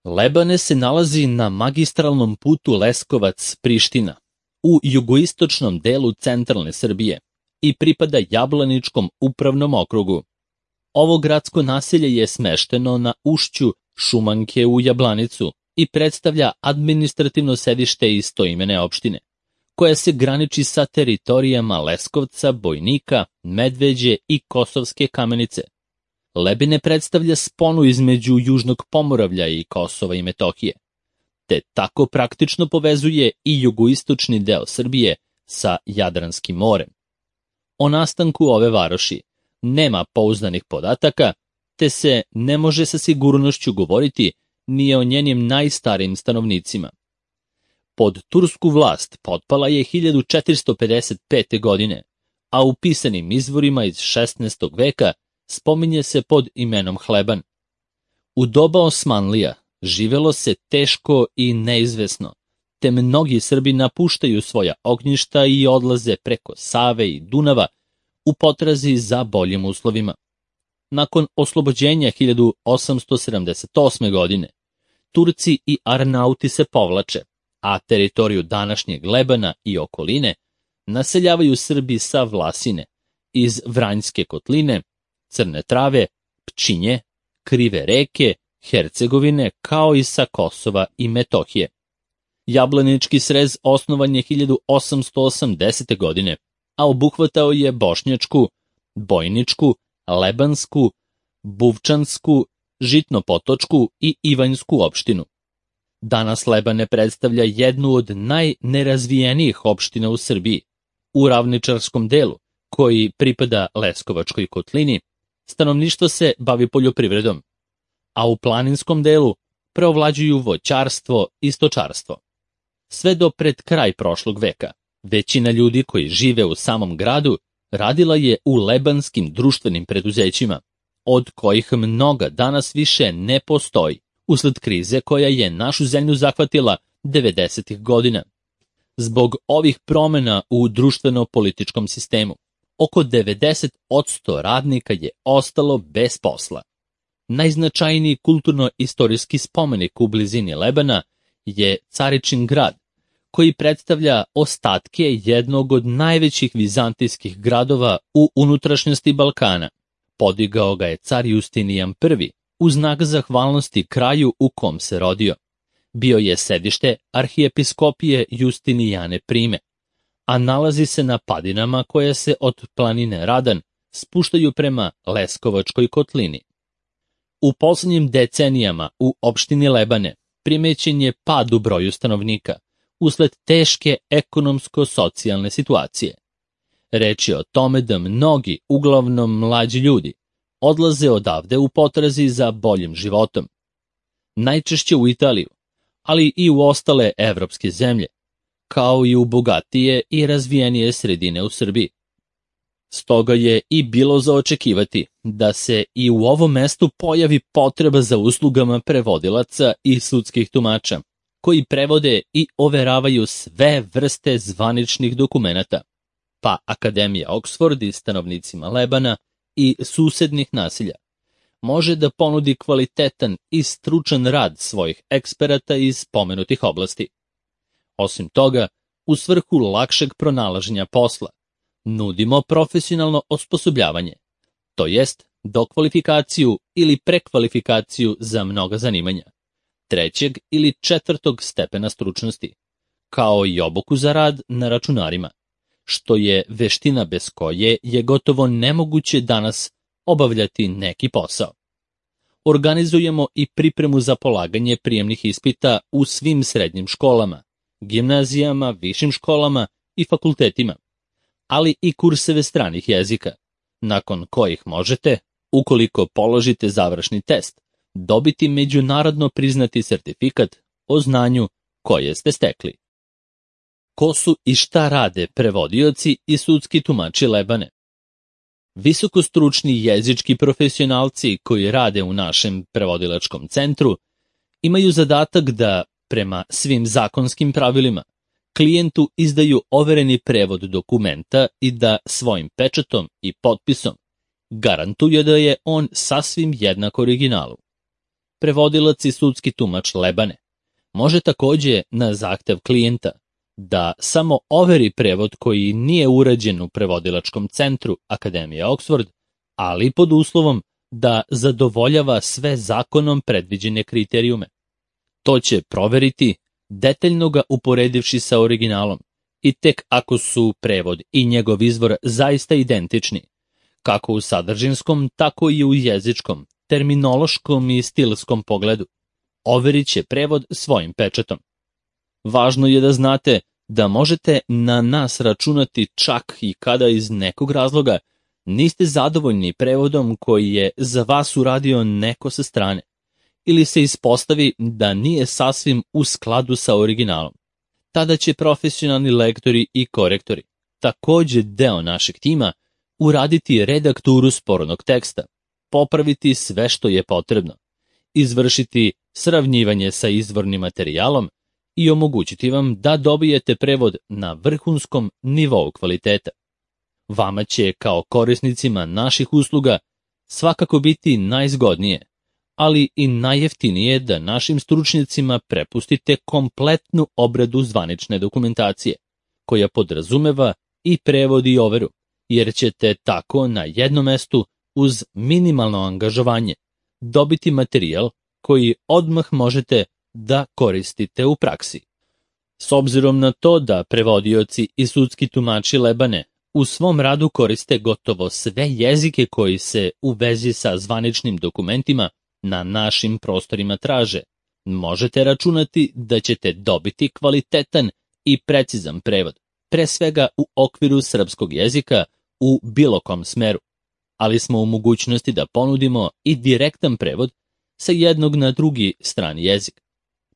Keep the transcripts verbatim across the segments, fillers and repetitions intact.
Lebane se nalazi na magistralnom putu Leskovac-Priština u jugoistočnom delu centralne Srbije i pripada Jablaničkom upravnom okrugu. Ovo gradsko naselje je smešteno na ušću Šumanke u Jablanicu i predstavlja administrativno sedište istoimene opštine, koja se graniči sa teritorijama Leskovca, Bojnika, Medveđe i Kosovske Kamenice. Lebine predstavlja sponu između Južnog Pomoravlja i Kosova i Metohije, te tako praktično povezuje i jugoistočni deo Srbije sa Jadranskim morem. O nastanku ove varoši nema pouzdanih podataka, te se ne može sa sigurnošću govoriti ni o njenim najstarijim stanovnicima. Pod tursku vlast potpala je hiljadu četiristo pedeset pete. godine, a u pisanim izvorima iz šesnaestog. veka spominje se pod imenom Hleban. U doba Osmanlija živelo se teško i neizvesno, te mnogi Srbi napuštaju svoja ognjišta i odlaze preko Save i Dunava u potrazi za boljim uslovima. Nakon oslobođenja hiljadu osamsto sedamdeset osme. godine, Turci i Arnauti se povlače, a teritoriju današnjeg Lebana i okoline naseljavaju Srbi sa Vlasine, iz Vranjske kotline, Crne Trave, Pčinje, Krive reke, Hercegovine, kao i sa Kosova i Metohije. Jablanički srez osnovan je hiljadu osamsto osamdesete. godine, a obuhvatao je Bošnjačku, Bojničku, Lebansku, Buvčansku, Žitnopotočku i Ivanjsku opštinu. Danas Lebane predstavlja jednu od najnerazvijenijih opština u Srbiji. U ravničarskom delu, koji pripada Leskovačkoj kotlini, stanovništvo se bavi poljoprivredom, a u planinskom delu preovlađuju voćarstvo i stočarstvo. Sve do pred kraj prošlog veka, većina ljudi koji žive u samom gradu radila je u lebanskim društvenim preduzećima, od kojih mnoga danas više ne postoji, usled krize koja je našu zemlju zahvatila devedesetih. godina. Zbog ovih promena u društveno-političkom sistemu, oko devedeset posto radnika je ostalo bez posla. Najznačajniji kulturno-istorijski spomenik u blizini Lebana je Caričin grad, koji predstavlja ostatke jednog od najvećih vizantijskih gradova u unutrašnjosti Balkana. Podigao ga je car Justinijan prvi u znak zahvalnosti kraju u kom se rodio. Bio je sedište arhijepiskopije Justinijane Prime, a nalazi se na padinama koje se od planine Radan spuštaju prema Leskovačkoj kotlini. U posljednjim decenijama u opštini Lebane primećen je pad u broju stanovnika usled teške ekonomsko-socijalne situacije. Reč je o tome da mnogi, uglavnom mlađi ljudi, odlaze odavde u potrazi za boljim životom. Najčešće u Italiju, ali i u ostale evropske zemlje, kao i u bogatije i razvijenije sredine u Srbiji. Stoga je i bilo za očekivati da se i u ovom mestu pojavi potreba za uslugama prevodilaca i sudskih tumača, koji prevode i overavaju sve vrste zvaničnih dokumenata, pa Akademija Oxford i stanovnicima Lebana i susednih naselja može da ponudi kvalitetan i stručan rad svojih eksperata iz pomenutih oblasti. Osim toga, u svrhu lakšeg pronalaženja posla, nudimo profesionalno osposobljavanje, to jest dokvalifikaciju ili prekvalifikaciju za mnoga zanimanja, trećeg ili četvrtog stepena stručnosti, kao i obuku za rad na računarima, što je veština bez koje je gotovo nemoguće danas obavljati neki posao. Organizujemo i pripremu za polaganje prijemnih ispita u svim srednjim školama, gimnazijama, višim školama i fakultetima, ali i kurseve stranih jezika, nakon kojih možete, ukoliko položite završni test, dobiti međunarodno priznati sertifikat o znanju koje ste stekli. Ko su i šta rade prevodioci i sudski tumači Lebane? Visokostručni jezički profesionalci koji rade u našem prevodilačkom centru imaju zadatak da, prema svim zakonskim pravilima, klijentu izdaju overeni prevod dokumenta i da svojim pečatom i potpisom garantuje da je on sasvim jednak originalu. prevodilac i sudski tumač Lebane može takođe na zahtev klijenta da samo overi prevod koji nije urađen u prevodilačkom centru Akademije Oxford, ali pod uslovom da zadovoljava sve zakonom predviđene kriterijume. To će proveriti, detaljno ga uporedivši sa originalom, i tek ako su prevod i njegov izvor zaista identični, kako u sadržinskom, tako i u jezičkom, terminološkom i stilskom pogledu, overit će prevod svojim pečatom. Važno je da znate da možete na nas računati čak i kada iz nekog razloga niste zadovoljni prevodom koji je za vas uradio neko sa strane, ili se ispostavi da nije sasvim u skladu sa originalom. Tada će profesionalni lektori i korektori, takođe deo našeg tima, uraditi redakturu spornog teksta, popraviti sve što je potrebno, izvršiti sravnjivanje sa izvornim materijalom i omogućiti vam da dobijete prevod na vrhunskom nivou kvaliteta. Vama će, kao korisnicima naših usluga, svakako biti najzgodnije, ali i najjeftinije da našim stručnjacima prepustite kompletnu obradu zvanične dokumentacije, koja podrazumeva i prevod i overu, jer ćete tako na jednom mestu uz minimalno angažovanje dobiti materijal koji odmah možete da koristite u praksi. S obzirom na to da prevodioci i sudski tumači Lebane u svom radu koriste gotovo sve jezike koji se u vezi sa zvaničnim dokumentima na našim prostorima traže, možete računati da ćete dobiti kvalitetan i precizan prevod, pre svega u okviru srpskog jezika u bilo kom smeru, ali smo u mogućnosti da ponudimo i direktan prevod sa jednog na drugi strani jezik.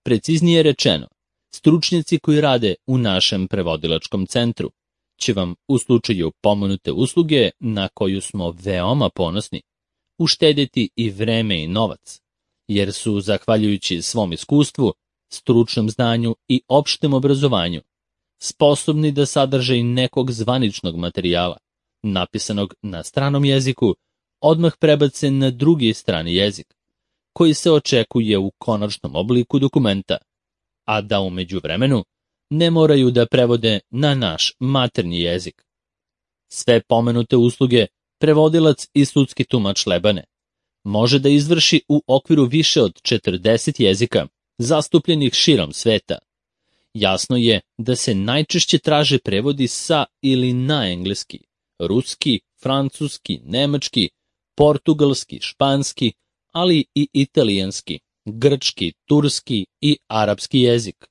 Preciznije rečeno, stručnjaci koji rade u našem prevodilačkom centru će vam u slučaju pomenute usluge, na koju smo veoma ponosni, uštedjeti i vreme i novac, jer su, zahvaljujući svom iskustvu, stručnom znanju i opštem obrazovanju, sposobni da sadržaj nekog zvaničnog materijala, napisanog na stranom jeziku, odmah prebace na drugi strani jezik, koji se očekuje u konačnom obliku dokumenta, a da u međuvremenu ne moraju da prevode na naš maternji jezik. Sve pomenute usluge prevodilac i sudski tumač Lebane može da izvrši u okviru više od četrdeset jezika zastupljenih širom sveta. Jasno je da se najčešće traže prevodi sa ili na engleski, ruski, francuski, nemački, portugalski, španski, ali i italijanski, grčki, turski i arapski jezik.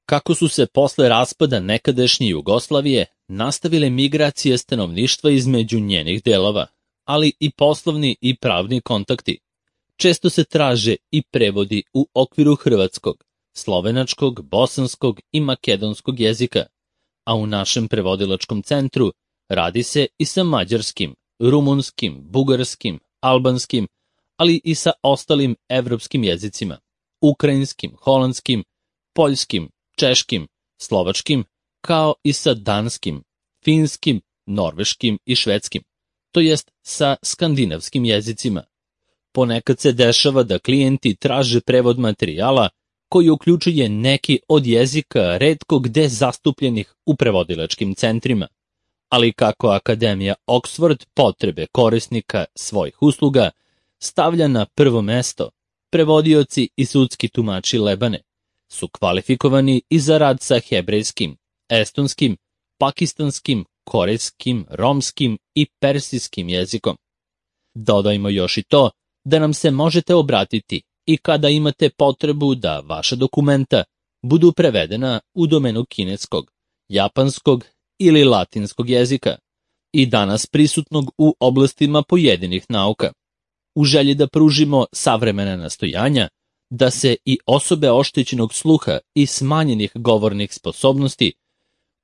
Kako su se posle raspada nekadašnje Jugoslavije nastavile migracije stanovništva između njenih delova, ali i poslovni i pravni kontakti, često se traže i prevodi u okviru hrvatskog, slovenačkog, bosanskog i makedonskog jezika, a u našem prevodilačkom centru radi se i sa mađarskim, rumunskim, bugarskim, albanskim, ali i sa ostalim evropskim jezicima, ukrajinskim, holandskim, poljskim, češkim, slovačkim, kao i sa danskim, finskim, norveškim i švedskim, to jest sa skandinavskim jezicima. Ponekad se dešava da klijenti traže prevod materijala koji uključuje neki od jezika retko gde zastupljenih u prevodilačkim centrima, ali kako Akademija Oxford potrebe korisnika svojih usluga stavlja na prvo mesto, prevodioci i sudski tumači Lebane su kvalifikovani i za rad sa hebrejskim, estonskim, pakistanskim, korejskim, romskim i persijskim jezikom. Dodajmo još i to da nam se možete obratiti i kada imate potrebu da vaša dokumenta budu prevedena u domenu kineskog, japanskog ili latinskog jezika i danas prisutnog u oblastima pojedinih nauka. U želji da pružimo savremena nastojanja, da se i osobe oštećenog sluha i smanjenih govornih sposobnosti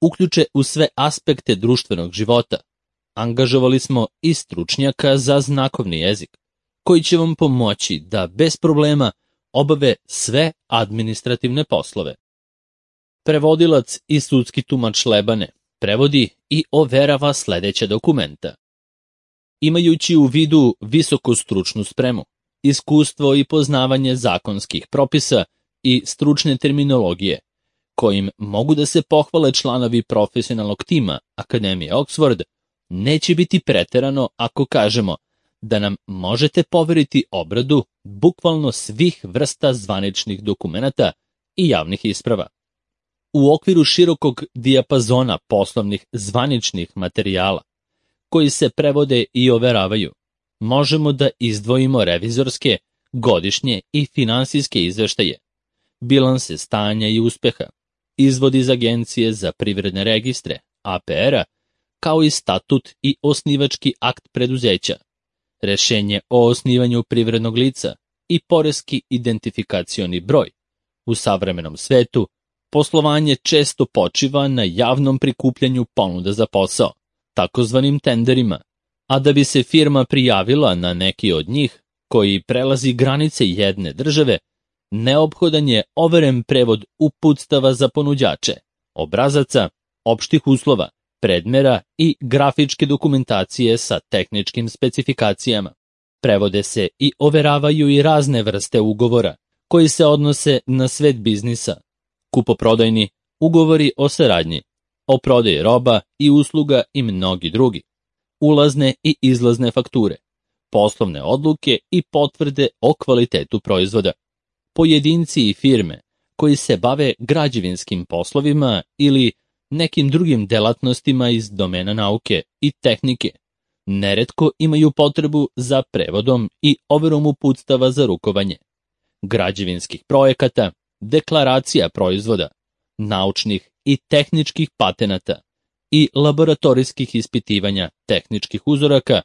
uključe u sve aspekte društvenog života, angažovali smo i stručnjaka za znakovni jezik, koji će vam pomoći da bez problema obave sve administrativne poslove. Prevodilac i sudski tumač Lebane prevodi i overava sledeća dokumenta. Imajući u vidu visoku stručnu spremu, iskustvo i poznavanje zakonskih propisa i stručne terminologije, kojim mogu da se pohvale članovi profesionalnog tima Akademije Oxford, neće biti preterano ako kažemo da nam možete poveriti obradu bukvalno svih vrsta zvaničnih dokumenata i javnih isprava. U okviru širokog dijapazona poslovnih zvaničnih materijala, koji se prevode i overavaju, možemo da izdvojimo revizorske, godišnje i finansijske izveštaje, bilanse stanja i uspeha, izvod iz Agencije za privredne registre, A P R-a, kao i statut i osnivački akt preduzeća, rešenje o osnivanju privrednog lica i poreski identifikacioni broj. U savremenom svetu, poslovanje često počiva na javnom prikupljanju ponuda za posao, takozvanim tenderima, a da bi se firma prijavila na neki od njih, koji prelazi granice jedne države, neophodan je overen prevod uputstava za ponuđače, obrazaca, opštih uslova, predmera i grafičke dokumentacije sa tehničkim specifikacijama. Prevode se i overavaju i razne vrste ugovora, koji se odnose na svet biznisa, kupoprodajni, ugovori o saradnji, o prodaji roba i usluga i mnogi drugi, ulazne i izlazne fakture, poslovne odluke i potvrde o kvalitetu proizvoda. Pojedinci i firme koji se bave građevinskim poslovima ili nekim drugim delatnostima iz domena nauke i tehnike neretko imaju potrebu za prevodom i overom uputstava za rukovanje, građevinskih projekata, deklaracija proizvoda, naučnih i tehničkih patenata i laboratorijskih ispitivanja tehničkih uzoraka,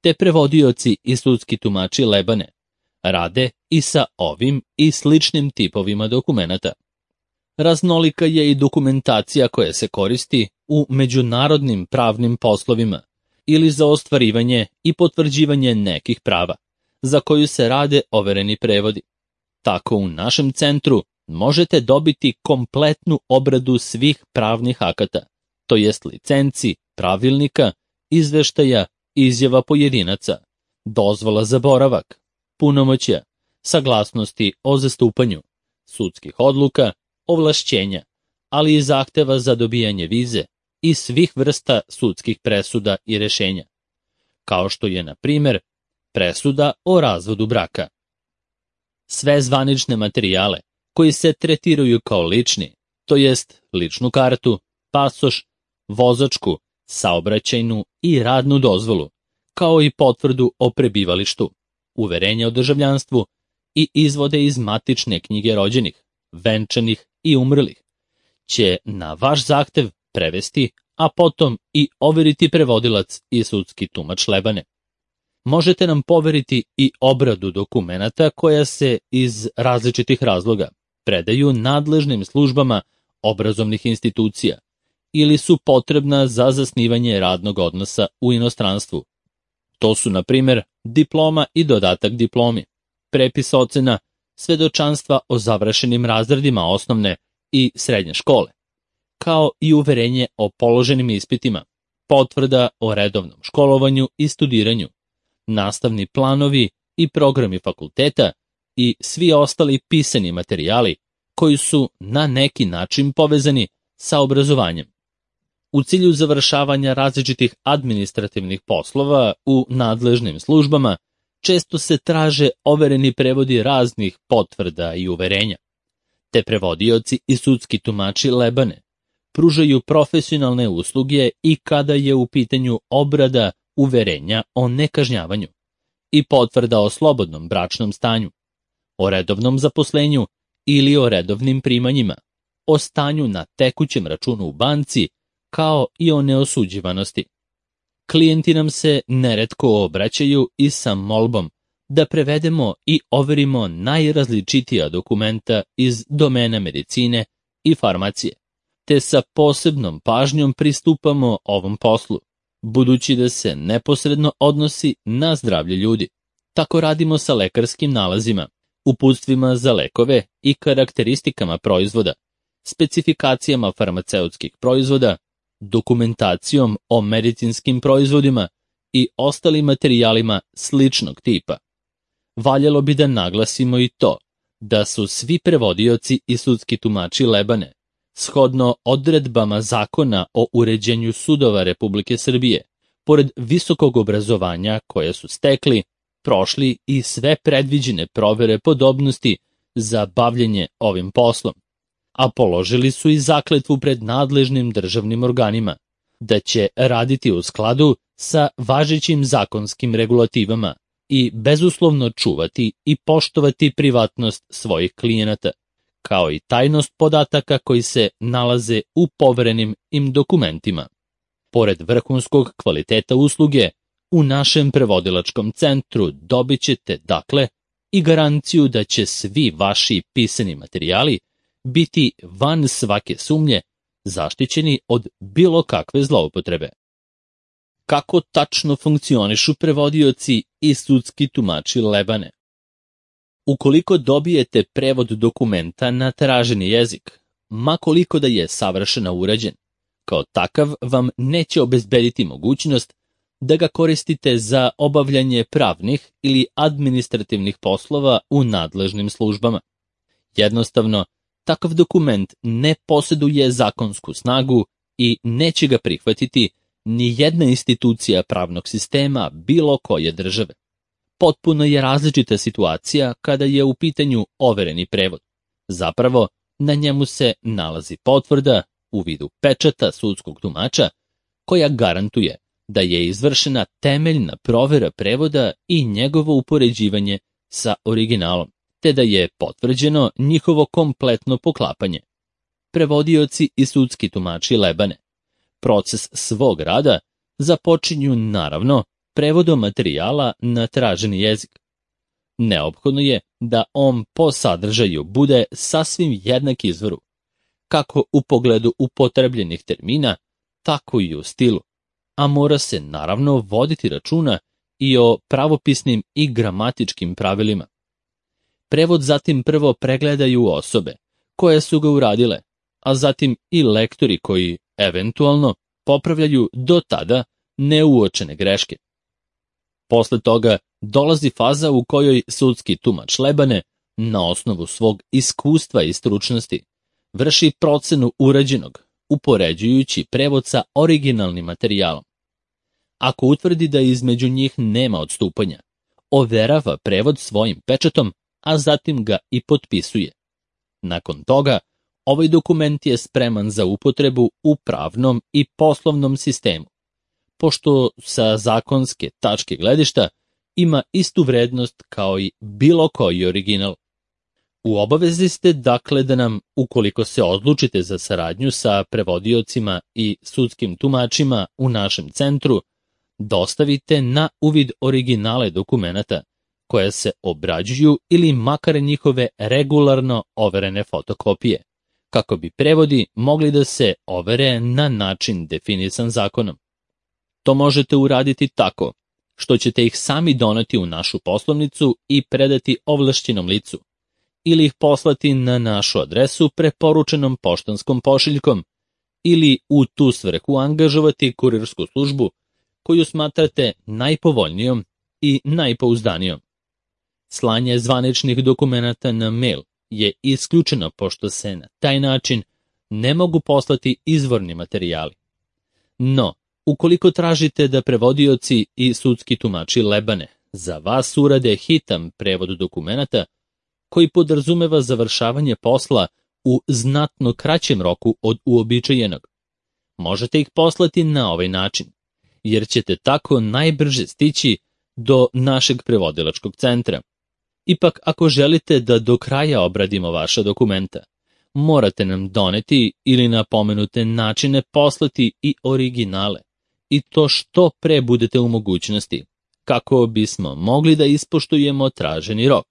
te prevodioci i sudski tumači lebane rade i sa ovim i sličnim tipovima dokumenata. Raznolika je i dokumentacija koja se koristi u međunarodnim pravnim poslovima ili za ostvarivanje i potvrđivanje nekih prava, za koju se rade overeni prevodi. Tako u našem centru možete dobiti kompletnu obradu svih pravnih akata, to jest licenci, pravilnika, izveštaja, izjava pojedinaca, dozvola za boravak, punomoćja, saglasnosti o zastupanju, sudskih odluka, ovlašćenja, ali i zahteva za dobijanje vize i svih vrsta sudskih presuda i rešenja, kao što je, na primer, presuda o razvodu braka. Sve zvanične materijale koji se tretiraju kao lični, to jest ličnu kartu, pasoš, vozačku, saobraćajnu i radnu dozvolu, kao i potvrdu o prebivalištu, uverenje o državljanstvu i izvode iz matične knjige rođenih, venčanih i umrlih, će na vaš zahtev prevesti, a potom i overiti prevodilac i sudski tumač lebane. Možete nam poveriti i obradu dokumenata koja se iz različitih razloga predaju nadležnim službama obrazovnih institucija ili su potrebna za zasnivanje radnog odnosa u inostranstvu. To su, na primer, diploma i dodatak diplomi, prepis ocena, svedočanstva o završenim razredima osnovne i srednje škole, kao i uverenje o položenim ispitima, potvrda o redovnom školovanju i studiranju, nastavni planovi i programi fakulteta i svi ostali pisani materijali koji su na neki način povezani sa obrazovanjem. U cilju završavanja različitih administrativnih poslova u nadležnim službama često se traže overeni prevodi raznih potvrda i uverenja. Te prevodioci i sudski tumači lebane pružaju profesionalne usluge i kada je u pitanju obrada uverenja o nekažnjavanju i potvrda o slobodnom bračnom stanju, o redovnom zaposlenju ili o redovnim primanjima, o stanju na tekućem računu u banci, kao i o neosuđivanosti. Klijenti nam se neretko obraćaju i sa molbom da prevedemo i overimo najrazličitija dokumenta iz domena medicine i farmacije, te sa posebnom pažnjom pristupamo ovom poslu, budući da se neposredno odnosi na zdravlje ljudi. Tako radimo sa lekarskim nalazima, uputstvima za lekove i karakteristikama proizvoda, specifikacijama farmaceutskih proizvoda, dokumentacijom o medicinskim proizvodima i ostalim materijalima sličnog tipa. valjalo bi da naglasimo i to da su svi prevodioci i sudski tumači Lebane, shodno odredbama Zakona o uređenju sudova Republike Srbije, pored visokog obrazovanja koje su stekli, prošli i sve predviđene provere podobnosti za bavljenje ovim poslom, a položili su i zakletvu pred nadležnim državnim organima, da će raditi u skladu sa važećim zakonskim regulativama i bezuslovno čuvati i poštovati privatnost svojih klijenata, kao i tajnost podataka koji se nalaze u poverenim im dokumentima. Pored vrhunskog kvaliteta usluge, u našem prevodilačkom centru dobit ćete, dakle, i garanciju da će svi vaši pisani materijali biti van svake sumnje zaštićeni od bilo kakve zloupotrebe. Kako tačno funkcionišu prevodioci i sudski tumači Lebane? Ukoliko dobijete prevod dokumenta na traženi jezik, ma koliko da je savršeno urađen, kao takav vam neće obezbediti mogućnost da ga koristite za obavljanje pravnih ili administrativnih poslova u nadležnim službama. Jednostavno, takav dokument ne posjeduje zakonsku snagu i neće ga prihvatiti ni jedna institucija pravnog sistema bilo koje države. Potpuno je različita situacija kada je u pitanju overeni prevod. Zapravo, na njemu se nalazi potvrda u vidu pečata sudskog tumača koja garantuje da je izvršena temeljna provera prevoda i njegovo upoređivanje sa originalom, te da je potvrđeno njihovo kompletno poklapanje. Prevodioci i sudski tumači Lebane proces svog rada započinju naravno prevodom materijala na traženi jezik. Neophodno je da on po sadržaju bude sasvim jednak izvoru, kako u pogledu upotrebljenih termina, tako i u stilu, a mora se naravno voditi računa i o pravopisnim i gramatičkim pravilima. Prevod zatim prvo pregledaju osobe koje su ga uradile, a zatim i lektori koji eventualno popravljaju do tada neuočene greške. Posle toga dolazi faza u kojoj sudski tumač Lebane, na osnovu svog iskustva i stručnosti, vrši procenu urađenog, upoređujući prevod sa originalnim materijalom. Ako utvrdi da između njih nema odstupanja, overava prevod svojim pečatom, a zatim ga i potpisuje. Nakon toga, ovaj dokument je spreman za upotrebu u pravnom i poslovnom sistemu, pošto sa zakonske tačke gledišta ima istu vrednost kao i bilo koji original. U obavezi ste dakle da nam, ukoliko se odlučite za saradnju sa prevodiocima i sudskim tumačima u našem centru, dostavite na uvid originale dokumenata koje se obrađuju ili makar njihove regularno overene fotokopije, kako bi prevodi mogli da se overe na način definisan zakonom. To možete uraditi tako što ćete ih sami doneti u našu poslovnicu i predati ovlašćenom licu, ili ih poslati na našu adresu preporučenom poštanskom pošiljkom, ili u tu svrhu angažovati kurirsku službu koju smatrate najpovoljnijom i najpouzdanijom. Slanje zvaničnih dokumenata na mail je isključeno pošto se na taj način ne mogu poslati izvorni materijali. No, ukoliko tražite da prevodioci i sudski tumači Lebane za vas urade hitan prevod dokumenata koji podrazumeva završavanje posla u znatno kraćem roku od uobičajenog, možete ih poslati na ovaj način, jer ćete tako najbrže stići do našeg prevodilačkog centra. Ipak, ako želite da do kraja obradimo vaša dokumenta, morate nam doneti ili na pomenute načine poslati i originale, i to što pre budete u mogućnosti, kako bismo mogli da ispoštujemo traženi rok.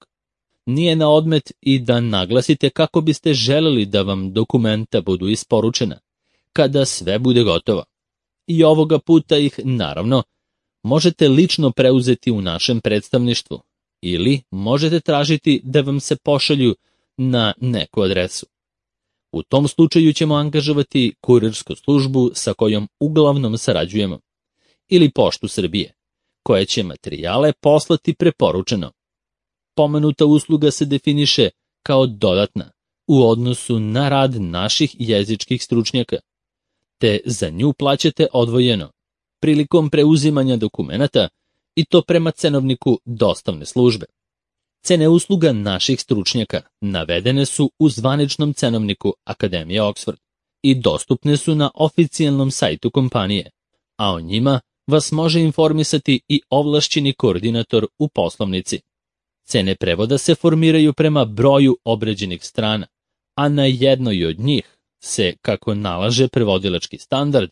Nije na odmet i da naglasite kako biste želeli da vam dokumenta budu isporučena, kada sve bude gotovo. I ovoga puta ih, naravno, možete lično preuzeti u našem predstavništvu, ili možete tražiti da vam se pošalju na neku adresu. U tom slučaju ćemo angažovati kurirsku službu sa kojom uglavnom sarađujemo, ili Poštu Srbije, koja će materijale poslati preporučeno. pomenuta usluga se definiše kao dodatna u odnosu na rad naših jezičkih stručnjaka, te za nju plaćate odvojeno prilikom preuzimanja dokumenata i to prema cenovniku dostavne službe. Cene usluga naših stručnjaka navedene su u zvaničnom cenovniku Akademije Oxford i dostupne su na oficijalnom sajtu kompanije, a o njima vas može informisati i ovlašćeni koordinator u poslovnici. Cene prevoda se formiraju prema broju obrađenih strana, a na jednoj od njih se, kako nalaže prevodilački standard,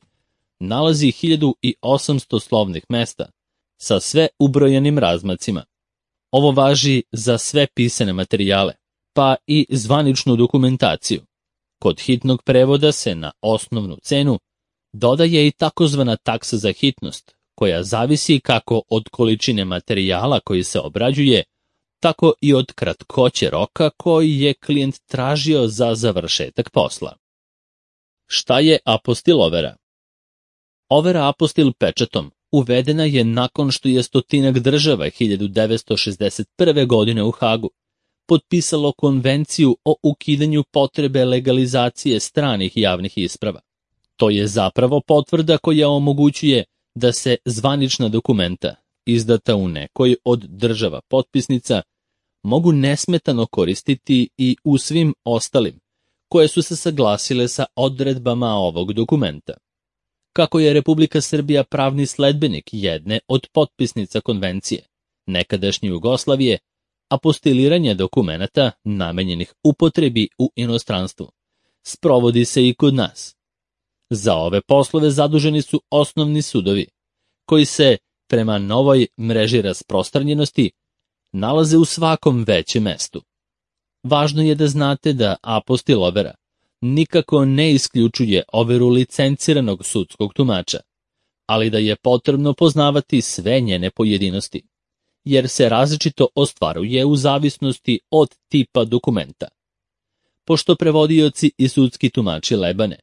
nalazi hiljadu osamsto slovnih mesta sa sve ubrojenim razmacima. Ovo važi za sve pisane materijale, pa i zvaničnu dokumentaciju. Kod hitnog prevoda se na osnovnu cenu dodaje i takozvana taksa za hitnost, koja zavisi kako od količine materijala koji se obrađuje, tako i od kratkoće roka koji je klijent tražio za završetak posla. Šta je apostil overa? Overa apostil pečatom uvedena je nakon što je stotinak država hiljadu devetsto šezdeset prve. godine u Hagu potpisalo konvenciju o ukidanju potrebe legalizacije stranih javnih isprava. To je zapravo potvrda koja omogućuje da se zvanična dokumenta, izdata u nekoj od država potpisnica, mogu nesmetano koristiti i u svim ostalim, koje su se saglasile sa odredbama ovog dokumenta. Kako je Republika Srbija pravni sledbenik jedne od potpisnica konvencije, nekadašnje Jugoslavije, apostiliranje dokumenata namenjenih upotrebi u inostranstvu sprovodi se i kod nas. Za ove poslove zaduženi su osnovni sudovi, koji se, prema novoj mreži rasprostranjenosti, nalaze u svakom većem mestu. Važno je da znate da apostil overa nikako ne isključuje overu licenciranog sudskog tumača, ali da je potrebno poznavati sve njene pojedinosti, jer se različito ostvaruje u zavisnosti od tipa dokumenta. Pošto prevodioci i sudski tumači Lebane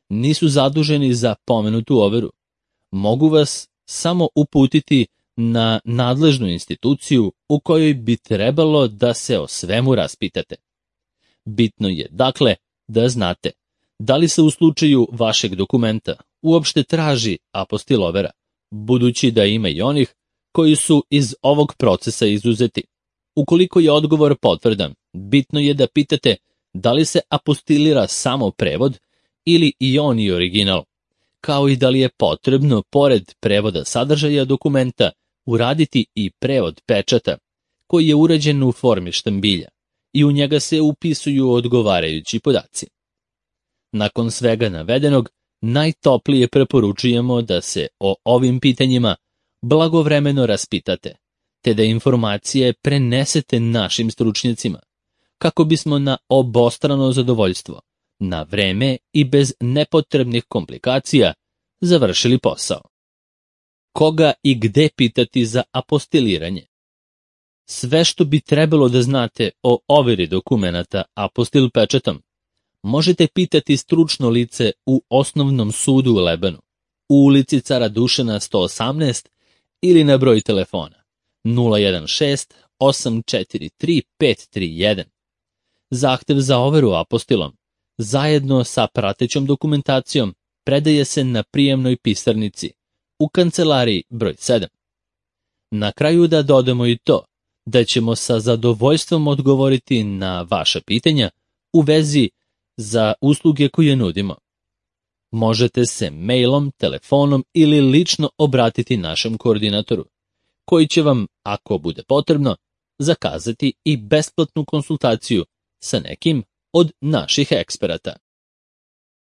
nisu zaduženi za pomenutu overu, mogu vas samo uputiti na nadležnu instituciju u kojoj bi trebalo da se o svemu raspitate. Bitno je, dakle, da znate da li se u slučaju vašeg dokumenta uopšte traži apostil overa, budući da ima i onih koji su iz ovog procesa izuzeti. Ukoliko je odgovor potvrdan, bitno je da pitate da li se apostilira samo prevod ili i on i original, kao i da li je potrebno, pored prevoda sadržaja dokumenta, uraditi i prevod pečata, koji je urađen u formi štambilja i u njega se upisuju odgovarajući podaci. Nakon svega navedenog, najtoplije preporučujemo da se o ovim pitanjima blagovremeno raspitate, te da informacije prenesete našim stručnjacima, kako bismo na obostrano zadovoljstvo, na vreme i bez nepotrebnih komplikacija završili posao. Koga i gde pitati za apostiliranje? Sve što bi trebalo da znate o overi dokumenata apostil pečatom možete pitati stručno lice u Osnovnom sudu u Lebanu, u ulici Cara Dušana sto osamnaest ili na broj telefona nula jedan šest osam četiri tri pet tri jedan. Zahtev za overu apostilom zajedno sa pratećom dokumentacijom predaje se na prijemnoj pisarnici u kancelariji broj sedam. Na kraju da dodamo i to da ćemo sa zadovoljstvom odgovoriti na vaša pitanja u vezi za usluge koje nudimo. Možete se mailom, telefonom ili lično obratiti našem koordinatoru, koji će vam, ako bude potrebno, zakazati i besplatnu konsultaciju sa nekim od naših eksperata.